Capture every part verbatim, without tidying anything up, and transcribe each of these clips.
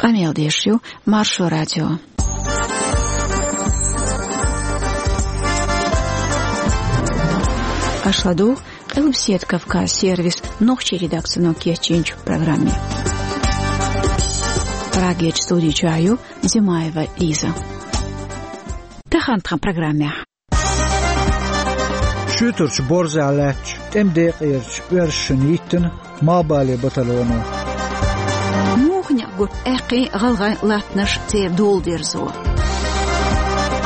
Къамел деш ю Маршо радио. Аша ладугӀу Къилбаседа Кавказ сервисан нохчийн редакцино кечйинчу программе. Прагерчу студи чохь ю Зимаева Лиза. Тахана тхан программехь. Шуьйтарчу борзехь лаьттачу тӀеман декъерчу оьрсашна йиттина малхбале батальоно. Муха некъ гурт аьккхий гӀалгӀайн латтанаш, церан дола дерзо?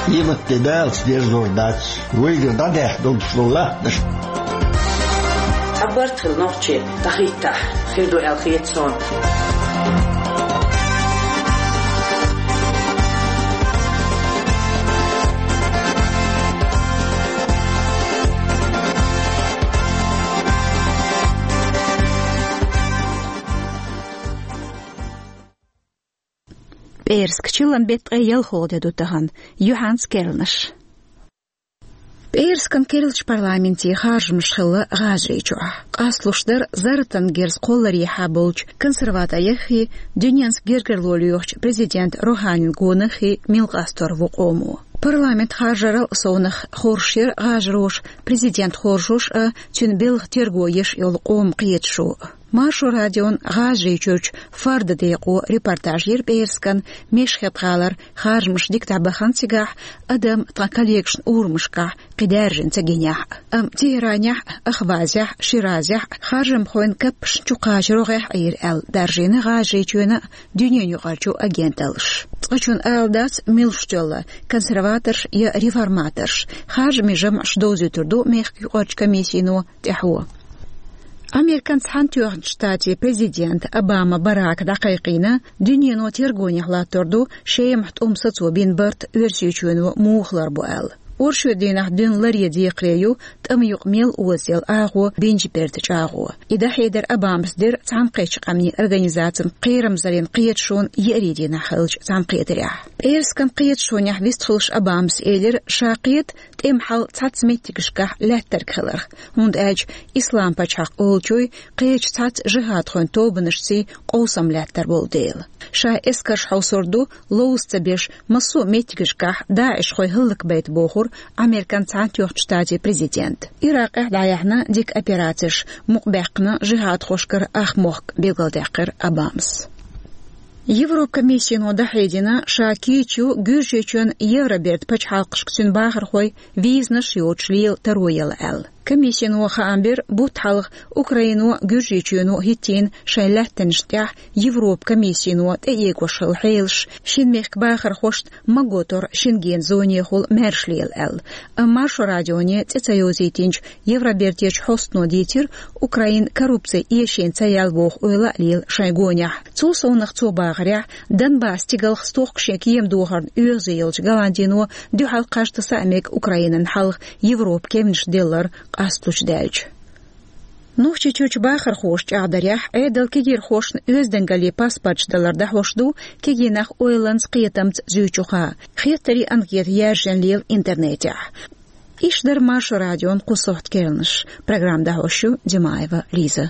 Къематде далаца дерзор дац вайгара дӀадаьхна долуш долу латтанаш. Цхьа барт хила нохчий дӀахӀиттахь, хир ду аьлла хета суна. ПӀераска, чиллан беттан ткъе ялхалгӀа де ду тахана, юьхьанца керланаш. ПӀераскан керлачу парламентийн харжамаш хилла ГӀажарийчохь. Къасталуш дара зарратан герз кхолларехьа болчу консерватореххий, дуьненца гергарло лоьхучу президент Руханин гонаххий мила къастор ву къомо. Парламент харжарал а совнаха хоржуш яра гӀажароша президент хоржош а, цуьнан белхан терго еш йолу къоман кхеташо а. Маршо радион ГӀажарийчуьрчу Фарда декъо репортаж йира пӀераскан Мешхед-гӀалара харжамаш дика дӀабахана цигахь, адам тхан коллегашна урамашкахь кхин даьржина ца гинехь а. Амма Тегеранехь а, Ахвазехь а, Ширазехь а харжамхойн каппашна чу кхача рогӀехь Ӏийра аьлла даржийна ГӀажарийчоьнан а, дуьненан юкъарчу агенталлаша. Цкъачунна ала дац, мила шу делла, консерваторш я реформаторш. Харжамийн жамӀаш довзуьйтур ду мехкан юкъарчу комиссино тӀаьхьо. Американ Цхьаьнатоьхначу Штатийн президент Обама Барака дӀакхайкхийна дуьнено тергонехь латтор ду Шемахь тӀом сацо бина барт Оьрсийчоьно муха лар бу аьлла. Оршотан дийнахь дуьйна ларъен декхаре ю тӀаман юкъа мел оза елла агӀо бинчу бертан чӀагӀо. И дӀахьедар Обамас дира Цхьаьнакхеттачу Къаьмнийн Организацин кхерамзаллин кхеташонан еарин дийнахь хиллачу цхьаьнакхетарехь. ПӀераскан кхеташонехь вистхуьлуш Обамас элира, ша кхета тӀеман хьал цхьацца меттигашкахь лаьттарг хиларх, хӀунда аьлча Ислам-пачхьалкх олучуй кхечу цхьацца жихӀадхойн тобанашций къовсам лаьттар болу дела. Ша эскарш хьовсур ду, ловза ца беш, массо а меттигашкахь даӀишхой хӀаллакбайта, бохура Американ Цхьаьнатоьхначу Штатийн президента. Иракъехь дӀаяьхьна дика операцеш, мукъабаьккхина жихӀадхошкара ах мохк, билгалдаьккхира Обамас. Европан комиссино дӀахьедина, ша кийча ю Гуьржийчоьнан Евробертан пачхьалкхашка цуьнан бахархойн визанаш йоцуш лела таро яла аьлла. Комиссино хаам бира бутт хьалха Украино, Гуьржийчоьно хӀиттийна шайн лаьттанашна тӀехь Европан комиссино тӀеэгош хилла хьелаш, шина мехкан бахархошна магош тарлуш Шенгенан зонехула маьрша лела аьлла. Амма Маршо радионе цӀе ца йовзийтинчу Евробертечу хьостано дийцира, Украина коррупцин эшийна ца яьлла боху ойла а лела шайн гонехь. Цул совнаха цо бахарехь, Донбасс стигалх стохка шен кема дохарна оьгӀазе йолчу Голландино дуьхьал кхаж-таса а мега Украинан хьалха Европан кевнаш деллар къасталуш даьлча. Нохчийчуьрчу бахархоша чӀагӀдарехь, Ӏедалан кегийрхошна оьздангаллин паспорташ далар дӀахьош ду кегий нах ойланца, кхетамца зуьйчуха. Хеттарийн анкета яьржина лела интернетехь. Иштта дара Маршо радион кху сохьтан керланаш. Программа дӀахьош ю Димаева Лиза.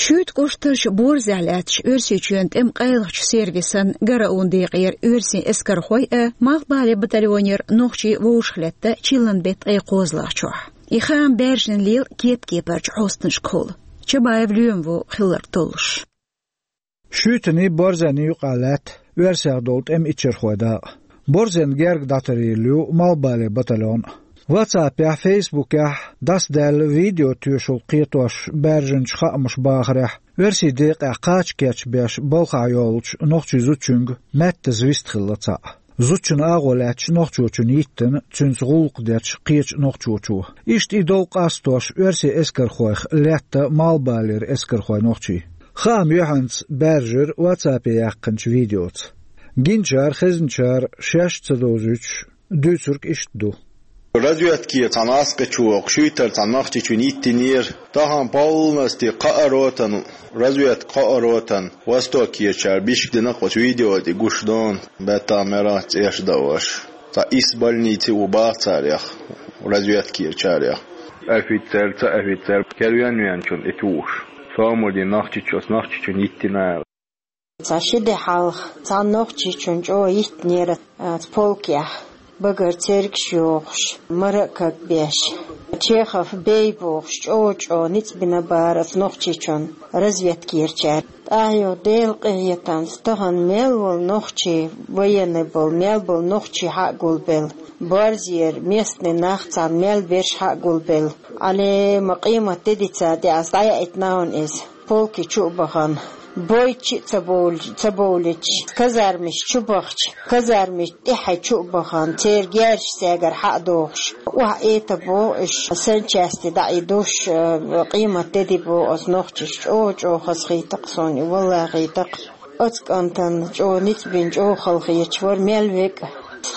Шуьйта кӀоштарчу Борзехь лаьттачу Оьрсийчоьнан тӀеман къайлахчу сервисан ГРУ-н декъера оьрсийн эскархой а, малхбале батальонера нохчий вовшахлетта чиллан беттан ткъе кхозлагӀчохь. И хаам баьржина лела кеп-кепарчу хьостанашкахула. Чабаев Лоьма ву хилларг толлуш. Шуьйтанний, Борзенний юкъахь лаьтта оьрсех долу тӀеман иччархойн дакъа. Борзенна герга дӀатарийла ю малхбале батальон. WhatsApp-ехь, Facebook-ехь дӀасадаьлла видео тоьшалла кхетош баьржинчу хаамаша бахарехь, оьрсийн декъехь кхача кечбеш балхахь йолчу нохчийн зудчуьнга маьттаза вистхилла цхьаъ. Зудчун агӀо лаьтташ нохчочунна йиттина, цуьнца гӀуллакх дечу кхечу нохчочо. Иштта и дов къастош оьрсийн эскархойх летта малхбалера эскархой нохчий. Хаам юьхьанца баьржира WhatsApp-е яьккхинчу видеоца. Гиначара, хезначара шаьш а ца довзуьйтуш, дуьйцург иштта ду. Разведке цхьана аскъа чу вокху шуьйтара цхьана нохчичун йиттинера. Тахана полностью кхаа ротан, разведка кхаа ротан, Востокерчара бишка дина кху видео тӀе гуш дона, бетта мера цӀеш дан ваша. Цхьа исс больнице ву баха царех, разведкерчарех. Офицер, ца офицер, кервен венчун и туш. Сомали нохчичу, ас нохчичун йиттина. Цхьа ши де хьалха цхьана нохчичун чӀогӀа йиттинера, а, цу полкехь, багара цергаш йохуш, мара а кагбеш. Чехов бей бохуш, чӀогӀа-чӀогӀа ницкъ бина бара оцу нохчичун разведкерчара. ТӀаьхьа Делан къинхетамца тахана мел волу нохчий, военный болу, мел болу нохчий хьа а гулбелла, борзера местный нах царна мел берш хьа а гулбелла. Ӏалема къемат де дицара де ас дӀаяийтина хьуна иза. Полки чу а бахана, бойчи а ца бовлича, ца бовлича, казармаш чу бахча, казармаш тӀаьхьа чу а бахана, церан герзаш цаьргара хьа а дохуш, охьа эта боху уьш, санчасти дӀа и душ, э, къемат де ди боху оцу нохчаш, чӀогӀа-чӀогӀа хазахийтакх суна и, валлахӀитакх. Оцу кӀантана чӀогӀа ницкъ бина, чӀогӀа халахеташ вара мел векӀ,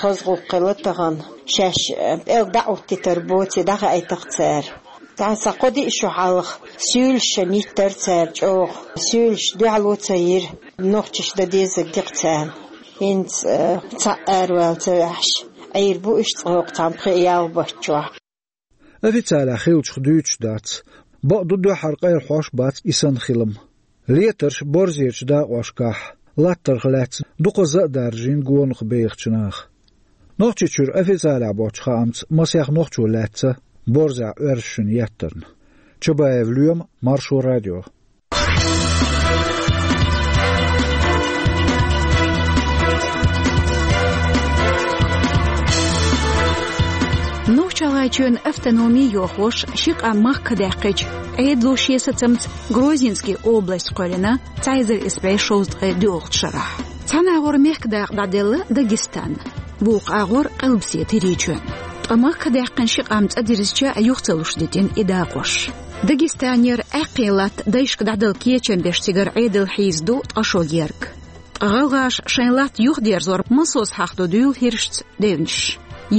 хаза гӀуллакх хилла тахана, шаьш, э, пӀелг дӀа а оттийтар боций, дӀахаийтакх цара. Цхьа кхо-диъ шо хьалха суьйлаш шайна йиттара цара чӀогӀа. Суьйлаш дуьхьало ца йира, нохчаш дан дезарг дикъ царна. ХӀинца, э, цхьаъ аравала ца ваьхьаш, Ӏийр бу уьш цкъа хӀокху цхьана пхи ялх баттахь. Официалехь хиллачух дуьйцуш дац. Бакъду, дуьххьара къайлахьош бац и санна хилам. Летарш борзерчу дакъошкахь латтарх лаьцна дукха за а даржийна гонах бехачу наха. Нохчийчуьра официалехь боцчу хаамца масех нохчо лаьцна борзехь оьрсашна еттарна. Чабаев Лоьма, Маршо радио. Нохч-ГӀалгӀайчоьнан автономи йохош ши къам махка даьккхича, Ӏедало шен сацамца Грозненский область кхоьллина цхьа эзар исс бӀе шовзткъе доьалгӀачу шарахь. Цхьана агӀор мехкан дакъа дӀаделла Дагестан, вукху агӀор Къилбаседа ХӀирийчоьнна. Ткъа махка даьккхина ши къам цӀа дирзича, юха ца луш дитина и дакъош. Дагестанера Ӏаьккхина латта дайшка дӀадала кечам беш цигара Ӏедал хьийза ду ткъа шо герга. Ткъа гӀалгӀаша шайн латта юхадерзор массо а схьахадо дуьйла хӀирашца девнаш.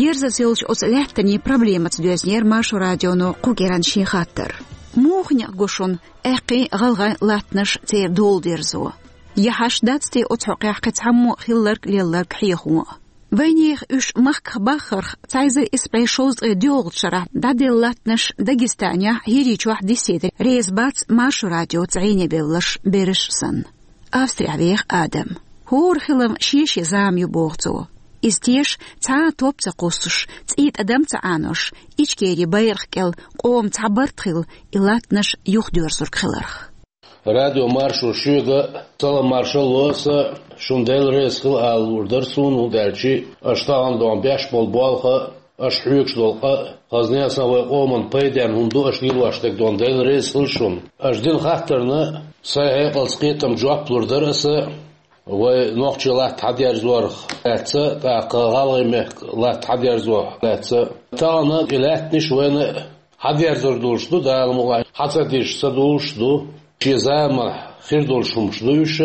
Ерзаза йолчу оцу лаьттанийн проблемаца доьзнера Маршо радионо кху кӀиранна шен хаттар. Муха некъ го шуна аьккхий гӀалгӀайн латтанаш церан дола дерзо? Я хьашт дац те оцу хьокъехь кхин цхьаммо а хилларг-лелларг хьехо а? Вайнехан уьш махках баххарх цхьа эзар исс бӀе шовзткъе доьалгӀачу шарахь дӀаделла латтанаш Дагестанехь, ХӀирийчохь диссийта реза бац Маршо радиоца гӀийне бевлларш бераш а санна. Австрехь веха Адам. ХӀора хилам шен-шен зама ю, боху цо. Иза теша цхьа а топ ца кхуссуш, цӀий тӀадам ца Ӏанош, Ичкерин байракх кӀел къоман цхьа барт хилла и латтанаш юхадоьрзург хиларх. Радио Маршо, шуьга салам-маршалла ло аса, шуна Дела реза хила ала луур дара суна, хӀунда аьлча аша тахана доху беш болу болх а, аша хьоьгуш долу къа а, хазна а, сан вайн къоман пайденна хӀума ду аша лелош дерг, доху Дела реза хила шуна. Аша дина хаттарна сайн хьекъалца кхетам, жоп лур дара аса, вай нохчийн латта хьадерзорх лаьцна, тӀаккха гӀалгӀайн мехкан латта хьадерзорх лаьцна. Тахана и лаьттанаш вайна хьадерзор долуш ду, Дала мукъ лахь, хьа ца дирзича ца долуш ду. Шен заманахь хир долуш хӀумаш ду уьш.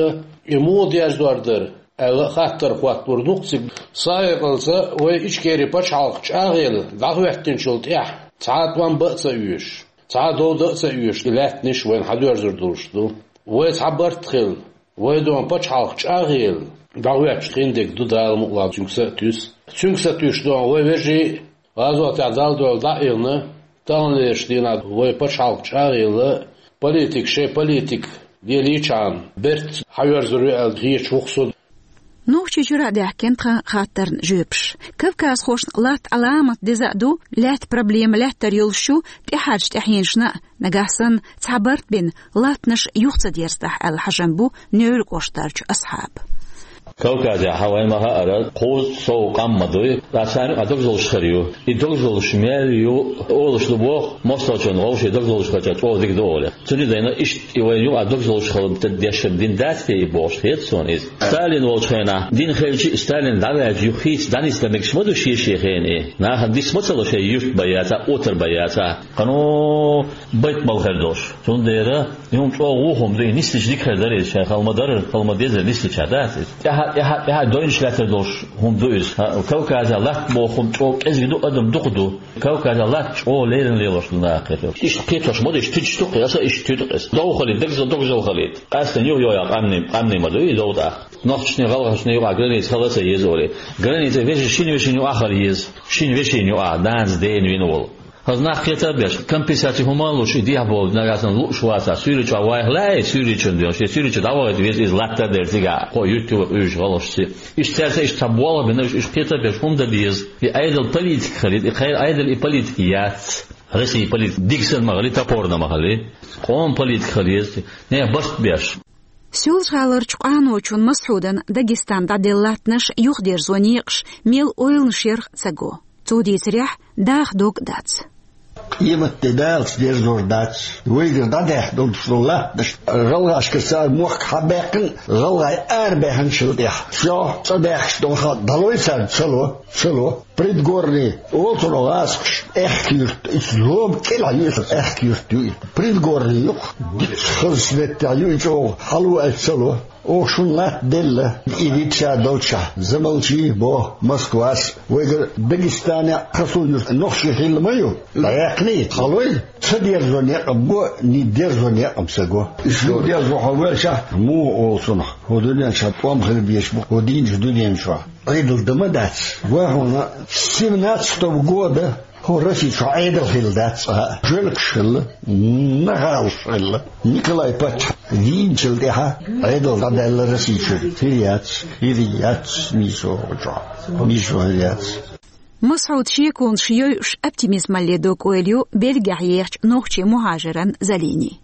И муха дерзор дара аьлла, хаттар хӀоттор ду-кх цига. Сайн хьекъалца вай Ичкерин пачхьалкх чӀагӀъелла дӀахӀоьттинчул тӀаьхьа цхьа а тӀом бан а ца оьшуш, цхьа а дов дан а ца оьшуш, и лаьттанаш вайна хьадоьрзур долуш ду. Вай цхьа барт хилла, вай, доху, пачхьалкх чӀагӀъелла дӀахӀоьттича хиндерг ду, Дала мукъ лахь, цуьнга са а туьйсу. Цуьнга са туьйсуш, доху, вай вежарий гӀазотехь Далла дуьхьал дӀа а хилла, таханлерчу дийнахь вай пачхьалкх чӀагӀъелла, политик, шайн политик лелийчхьана, бертахь хьаверзор ю аьлла хеташ ву-кх со. Нохчийчуьра а даьхкина тхан хаттарна жоьпаш. Кавказхошна латта Ӏаламат деза а ду, лаьтта проблема лаьттар йолуш ю тӀаьхьарчу тӀаьхьенашна а, нагахь санна цхьа барт бина, латтанаш юха ца дерзадахь аьлла хьажам бу Невран кӀоштарчу Асхьабан. Кавказехь хьан вайн ма хаьара, кхузткъа сов къам ма дуй, ткъа царна юкъахь догзалш хир ю. И догзалш мел ю, олуш ду боху, мостагӀчунна вовшийн догзалш хилча чӀогӀа дика ду олий. Цуьнан дайна иштта и вайн юкъахь догзалш хила деш дина дац те и бохуш хета суна иза. Сталин волчу хенахь дина хилча а, Сталин дӀаваьлча юха хийца дӀанисдан мегаш ма ду шен-шен хенахь. Нахана диц ма ца ло шайн юрт бан яцахь, отар бан яцахь. Кхано байт мала хир долуш. Цундела и хӀума чӀогӀа вон хӀума ду, и нислича дика хир дара иза, шайн хала ма дарра, хала ма дезара нислича, дац иза. ТӀаьхьа ТӀаьхьа, тӀаьхьа дойнаш лаьттар долуш хӀума ду иза. Кавказан латта боху хӀума чӀогӀа кӀезиг ду, адам дукха ду. Кавказан латта чӀогӀа леррина лелош ду нах кхетар. Иштта кхетош ма ду, иштта туьдуш ду-кх, аса иштта туьду-кх аса. Дов хилийта, дагаза догзал хилийта. Къаьстина юха йоӀ къамне, къамне ма ду и дов тӀаккха. Нохчашний, гӀалгӀашний юкъахь граница хила а ца еза олий. Граница вешин, шина вешин юкъахь хила еза. Шина вешин юкъахь, данца, дена вина волу. ХӀаза нах кхета а беш, компенсаци хӀума а луш, и дехьа болу нагахь санна лууш вацахь, Суьйре чохь вайх лаьий, суьйричун доьхуш, я Суьйре чу дӀавахийта веза иза латтар дерг цигахь, кхо юьртта юкъа уьйш гӀалгӀашца. Иштта цаьрца иштта цхьа болх бина, уьш, уьш кхета а беш, хӀума дан деза. И Ӏедал политика хилийта, и кхайра Ӏедал и политика яц. Россия политика дика санна ма хилий, топорна ма хилий. Къоман политика хила еза, нехан барт беш. Соьлжа-ГӀаларчу къаночун Масхьудан Дагестан дӀаделла латтанаш юхадерзо некъаш мел ойланаш ярх ца го. Цо дийцарехь, даха дог дац. Къематде далаца дерзор дац. Вайгара дӀадаьхна долуш долу латтанаш, гӀалгӀашкара цара мохк хьабаьккхина, гӀалгӀай арабаьхначул хьалха тӀехь. Всё, цӀа даьхкаш долу хан дӀалой царна, ца ло, ца ло. Предгорный олу цунах гӀазкхаша, аьхка юрт, иза лома кӀелахь ю иза, аьхка юрт ю иза. Предгорный ю-кх, дикачу хазачу меттехь ю и чӀогӀа, хьало аьлча ца ло. Оха шуна латта делла, и дитта ша долчохь, Замалчи боху Москвас, вайгара Дагестанехь хасо юрт нохчий хилла ма ю, дӀаяьккхина и, хьалой, ца дерзо некъ а го, ни дерзо некъ а ца го. Уьш ю дерзо хьо велчахь, муха олу цунах, хӀун дуьнен чохь тӀом хила безаш бу хӀун дийначу дуьнен чохь. Ӏедал дан ма дац. Вай хьуна семнадцатого года хӀо Россия чохь Ӏедал хилла дац цкъа а. Жуьлкаш хилла, нахалаш хилла. Николай паччахь вийначул тӀаьхьа Ӏедал дӀадаьлла Россия чуьра. Хир яц, хир яц, нийсо чохь. Нийсо хир яц. Масхьуд шеконаш йойуш оптимизмалле дог-ойла ю Бельгехь ехачу нохчийн мухӀажаран Залини.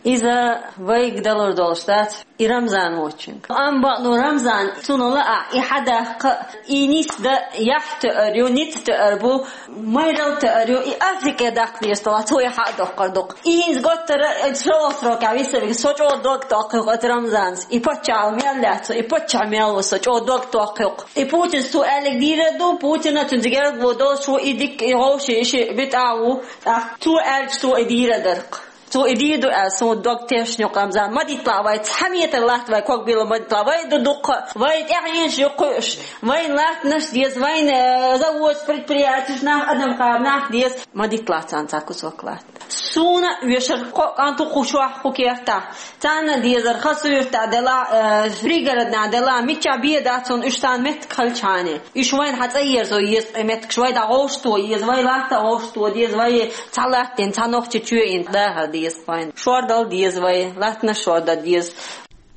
Иза вайга далур долуш дац, и Рамзан воцчуьнга. Амма бакъ ду, Рамзан, цунна лаахь, и хьадаккха, и нисдан яхь тоьар ю, ницкъ тоьар бу, майралла тоьар ю, и Африкехь даккха деза тӀаккха, цо и хьа а доккхур ду-кх. И хӀинца готтара, э, шолгӀа срокехь виссарг, со чӀогӀа дог токкхуьйту оцу Рамзанца. И паччахьалла мел лаьцна, и паччахь мел ву, со чӀогӀа дог токкхуьйту. И Путинца цо аьлларг дийр а ду, Путина цуьнца герга ву долуш ву, и дика, и вовши, и ши битӀа а ву. ТӀаккха цо аьлча, цо и дийр а дара-кх. Цо и дийр ду аьлла, суна дог тешна ю-кх, Рамзан. Ма дитталахь вай, цхьа метр латта вай ког билла ма дитталахь. Вай ду дуккха, вай тӀаьхьенаш ю кхуьуш, вайн латтанаш деза, вайн, э, заводаш, предприятеш, нах, адам кхаба нах деза. Ма дитталахь царна цхьа кусок латта. Суна вешар кхо кӀант ву кху чохь, кху кертахь. Царна дезар, хасуьртахь делахь, э, пригородна делахь, миччахь бен дац цунна, уьш царна меттиг хилчхьана. Уьш вайна хьан цӀа ерзо еза, ткъе меттигаш вай дӀа гӀовшто еза, вай латта гӀовшто деза, вай цхьа латтина, цхьа нохчи чоьйина дахар деза вайна. Шордала деза вай, латтанаш шордала деза.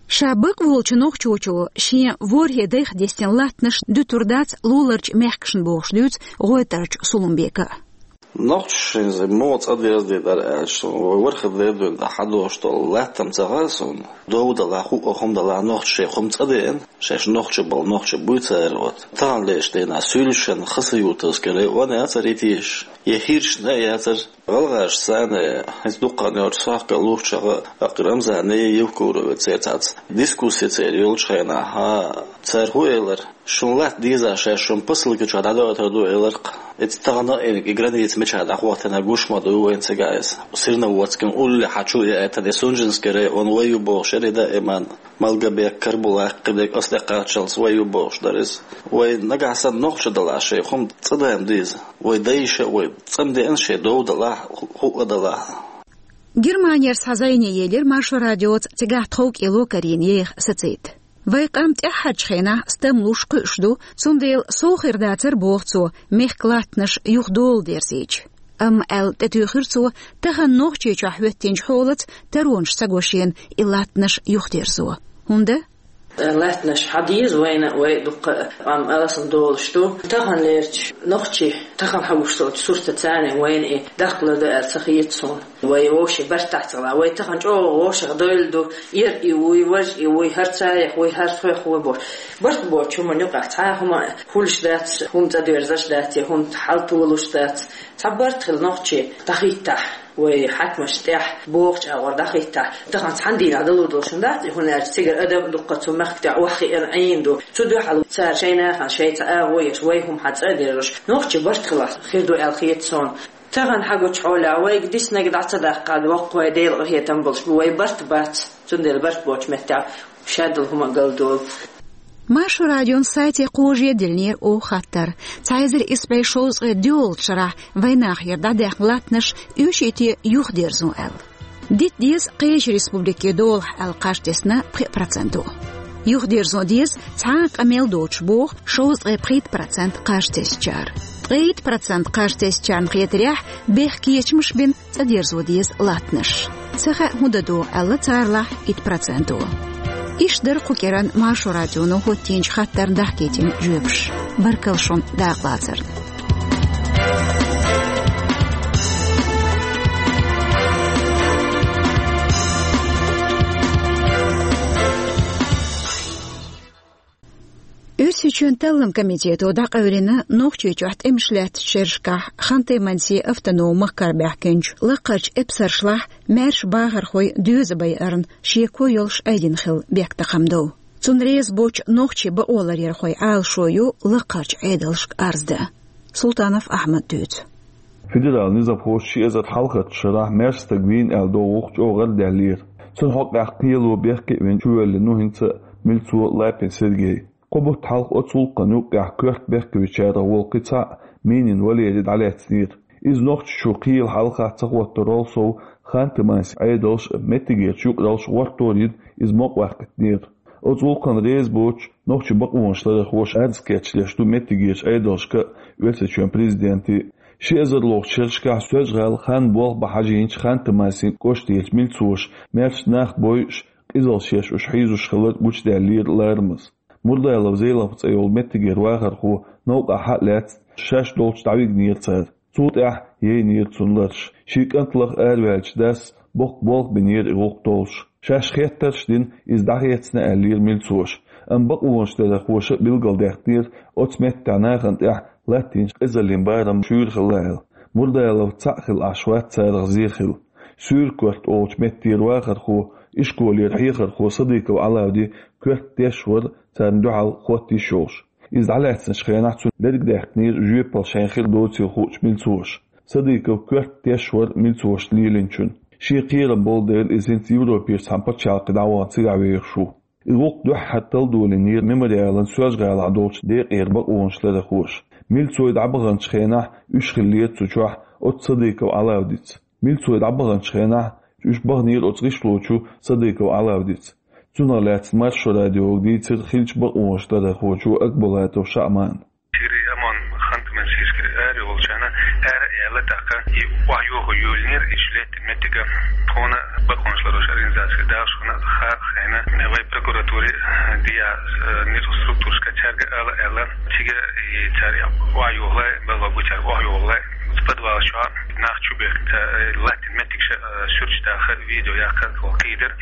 Ша бакъволчу нохчочо шен ворхӀе дайх дестина латтанаш дуьтур дац луларчу мехкашна бохуш дуьйцу ГӀойтӀарчу Сулумбека. Нохчашна иза муха цӀа деза дара аьлча, вай ворхӀе дайх дуьйна тӀехь хьадош долу латтам ца хаьа суна. Дов далахь, хӀуъа хӀума далахь, нохчаша шайх хӀума цӀа деана, шаьш нохчий болу нохчий буй цара оцу. Таханлерчу дийнахь суьйлашан Хасавюртовский район яцара и тешаш, я хӀиршна а яцара, гӀалгӀашца цхьаьна, хӀинца дуккха а йолчу сохкал лухчух а, тӀаккха Рамзане, Евкурове церан цхьацца дискусси церан йолчу хенахь, хӀа, цара хӀун элира? Шун латта дезахь, шаьш шун посылка чохь дӀадойтур ду, элира-кх. Эцца тахана а и граница мичахь дӀахӀоттийна гуш ма ду вайна цигахь иза. Серноводскан уллехь чу яийтина, и Сунжинский район вай ю бохуш яра и даиман. Малгобек, Карабулак, кхидерг аса тӀекхаччалц вай ю бохуш дара иза. Вай нагахь санна нохчий далахь, шайх хӀума цӀа деана деза. Вай дайша а вай цӀа ма деана шайн дов далахь, хӀу-, хӀуъа далахь. Германера схьа зӀене елира Маршо радиоца цигахь тховкӀело карийна еха сацийта. Вайн къам тӀаьххьарчу хенахь стамлуш, кхуьуш ду, цундела сов хир дацара, боху цо, мехкан латтанаш юха дола дерзийча. Амма, аьлла, тӀетуьйхира цо, тахана Нохчийчохь хӀоьттинчу хьолаца таронаш ца го шена и латтанаш юхадерзо. ХӀунда? Латтанаш хьан деза вайна а, вай дуккха а къам алсам долуш ду. Таханлерчу нохчий, тахана хьан гуш долчу суртаца царна вайна и даккхалур ду аьлла ца хета суна. Вай вовшийн бартахь ца гӀала. Вай тахана чӀогӀа вовшах дойла ду, эр и вуй, важ и вуй, хӀара царех вуй, хӀара тхох вуй бохуш. Барт боцу хӀуманна юкъахь цхьа а хӀума хуьлуш дац, хӀума цӀа доьрзуш дац, я хӀума хьал толуш дац. Цхьа барт хила нохчий дӀахийтахь, вай хьаькамашна тӀехь бохучу агӀор дӀахийтахь, тахана цхьана дийнахь далур долуш хӀума дац, хӀунда аьлча цигара адам а дуккха цу махка тӀехь охьахиъна Ӏийна ду. Цу дуьхьал цара шайн нахана шайн цхьа агӀо еш, вай хӀума хьан цӀа а дерзош, нохчий барт хилахь хир ду аьлла хета суна. Тахана хьан гучу хьолехь вайга диснарг дӀа ца даккхахь, воккхавай Делан къинхетам болуш бу, вай барт бац, цундела барт боцу меттехь шадолу хӀума а галдолу. Маршо радион сайте кхожа диллинера оха хаттар. Цхьа эзар исс бӀе шовзткъе доьалгӀачу шарахь вайнахера дӀадаьхна латтанаш оьшуьйтий юхадерзо аьлла. Дита деза кхечу республикийн долахь аьлла кхаж тесна пхи проценто. Юхадерзо деза цхьа а къамел доцуш боху шовзткъе пхийтта процент кхаж тесначара. Ткъе итт процент кхаж тесначарна хетарехь, бехк кечамаш бина цӀа дерзо деза латтанаш. Ца хаьа хӀун дан догӀу аьлла царлахь итт проценто. Иштта дара кху кӀиранна Маршо радионо хӀоттийначу хаттарна дахкийтина жоьпаш. Баркалла шуна дакъалацарна. Оьрсийчоьнан Талламан комитето дӀакъевлина Нохчийчохь тӀемаш лаьттачу шерашкахь Ханты-Мансин автономан махкара баьхкинчу лакхарчу эпсаршлахь маьрша бахархой доьза байарна шеко йолуш айдина хилла бехктакхамдо. Цунна реза боцу нохчийн бакъоларъярхойн Ӏалашо ю лакхарчу Ӏедалшка арз дан. Султанов Ахьмада дуьйцу. Федералан низамхоша ши эзар хьалхарчу шарахь маьрша стаг вийна аьлла догӀург чӀогӀа гӀардаьллера. Цунна хьокъехь кхело бехке а вина чувоьллина ву хӀинца а милцо Лапин Сергей. Кхо бутт хьалха оцу гӀуллакхна юккъехь коьрта бехкевичарах волу кхин цхьаъ Минин Валерий дӀалаьцнера. Иза Нохчийчу кхелан хьалха ца хӀоттарал сов Ханты-Мансин Ӏедалша а, меттигерчу юкъараллаш гӀортор а йина, иза мукъаваьккхинера. Оцу гӀуллакхна реза боцуш нохчийн бакъонаш ларъярхоша арз кечдеш ду меттигерчу Ӏедалшка а, Оьрсийчоьнан президенте а. Ши эзар лохучу шерашкахь Соьлжа-ГӀала хан болх бан хьажийначу Ханты-Мансин кӀоштарчу милцоша маьрша нах бойуш, къизаллаш еш уьш хьийзош хилар гучудаьллера ларамаза. Мурдалов Зелимхан цӀе йолу меттигера вахархо новкъахь схьа а лаьцна, шаьш долчу дӀавигнера цара. Цул тӀаьхьа яйнера цунна лараш. Шен кӀант лаха араваьллачу дас боккха болх бинера и гӀуллакх толлуш. Шаьш хеттарш а дина, иза дӀахецна аьллера милцоша. Амма бакъонаш ларъярхоша а билгалдаьккхинера, оцу меттехь нахана тӀехь латтийначу къизаллин барам шуьйра хилла аьлла. Мурдалов цхьаъ хилла Ӏаш вац царах зен хилла. Суьйра-Корта олучу меттера вахархо, ишколера хьехархо Садыков Ӏалавди коьрта теш вара царна дуьхьал хӀотта йиш йолуш. Иза дӀалаьцначу хенахь цунна лерг даьккхинера жоьпалла шайна хир доцийла хуучу милцоша. Садыков коьрта теш вара милцошна лелийначун. Шен кхерам болу дела, иза хӀинца Европерчу цхьана пачхьалкхе дӀавахана цигахь вехаш ву. И гӀуллакх дуьххьара талдолийнера Мемориалан Соьлжа-ГӀалахь долчу декъера бакъонаш ларъярхоша. Милцой дӀабаханчу хенахь уьш хиллера цу чохь оцу Садыков Ӏалавдица. Милцой дӀабаханчу хенахь уьш баханера оцу гӀишлочу Садыков Ӏалавдица. Цунах лаьцна Маршо радиога дийцира хиллачу бакъонаш ларъярхочо Акбулатов Шаъмана. Цигара ОМОН Ханты-Мансийскера арайолучарна ара а яьлла, тӀаккха и охьайохо йолийнера, и шу лаьттина меттиг тхуна бакъонаш ларъярхойн организацега далаш хилла хаа хенахь, вай прокуратуре дӀа, э, низаман структурашка цаьрга ала аьлла, цига и цара охьайохалой, балла бу цаьрга охьайохалой, подвал чохь нах чу бехкина, э, лаьттина меттигаш, э, суьрташ даха, видео яккха кхийдира.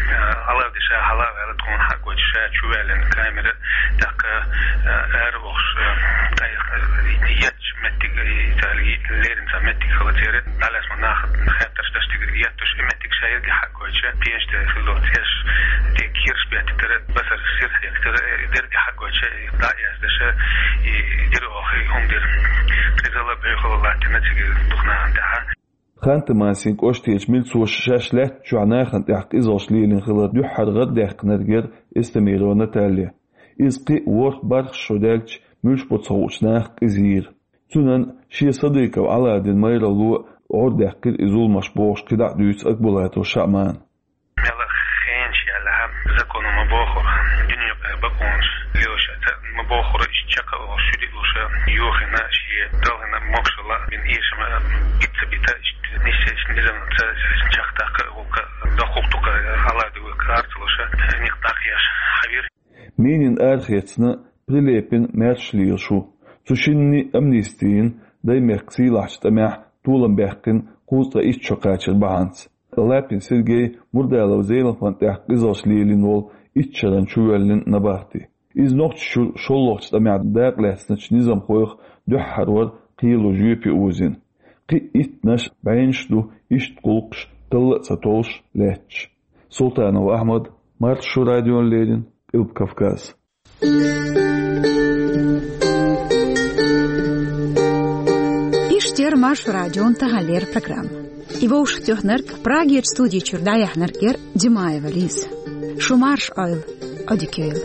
Э, Ӏалавди ша хьала а ваьлла, тхуна хьагойту ша чу ваьллина камера, тӀаккха, э, ара вахаш, э, тӀаккха, э, етташ меттиг, э, цаьрга леррина цхьа меттиг хилла церан, дӀалаьцна нах хеттарш даш тигара етташ, и меттиг ша ерриге хьагойтуш, пенаш тӀе хилла цӀераш, тӀе кийраш беттара, басар сир хьекхтара, э, дерриге хьагойтуш, э, дӀа а яздеш, э, и дира оха, и хӀума дира. Къизалла, бӀоьхалла латтийна цига дукха нахана тӀехь. Ханты-Мансин кӀоштарчу милцоша шаьш лаьттачохь нахана тӀехь къизаллаш лелийна хилар дуьххьара гӀардаьккхинарг яра Эстемирова Наталья. Иза кхин а ворхӀ-бархӀ шо даьлча, муьлш бу ца хуучу наха къиза йийра. Цуьнан шен Садыков Ӏалавдин майралло гӀордаьккхира и зуламаш бохуш кхидӀа а дуьйцу Акбулатов Шаъмана. Мел хенаш яьлла, законо ма бохура, дуьне юкъара бакъонаш лелош ца ма бохура, иштта чекх а волуш, шуьди а луш, юххина, шен далхана могушалла бина эшам бита ца бита, иштта нисса, иштта низамца чекхдаккха, вукха доккхух дукха Ӏалавди вуьйка ар ца луш, некъ дӀакхехьаш хьавира. Минин арахецна, Прилепин маьрша лелаш ву. Цу шинна амнисти йина, Даймехкан сийлахьчу тӀамехь толам баьккхина кхузткъе итт шо кхачар бахьанца. Лапин Сергей Мурдалов Зелимхана тӀехь къизаллаш лелийна волу итт шарна чувоьллина набахти. Иза Нохчийчуьра шолгӀачу тӀамехь дакъалаьцначу низамхойх дуьххьара вара кхело жоьпе озийна. Кхин а иттанаш бӀеннаш ду иштта гӀуллакхаш талла а ца толлуш лаьтташ. Султанов Ахьмад, Маршо радиона леррина, Къилба Кавказ. Иштта яра Маршо радион таханлера программа. И вовшахтоьхнарг, Прагерчу студи чуьра дӀаяьхьнарг яра Димаева Лиза. Шу марша Ӏойла, Ӏодика йойла.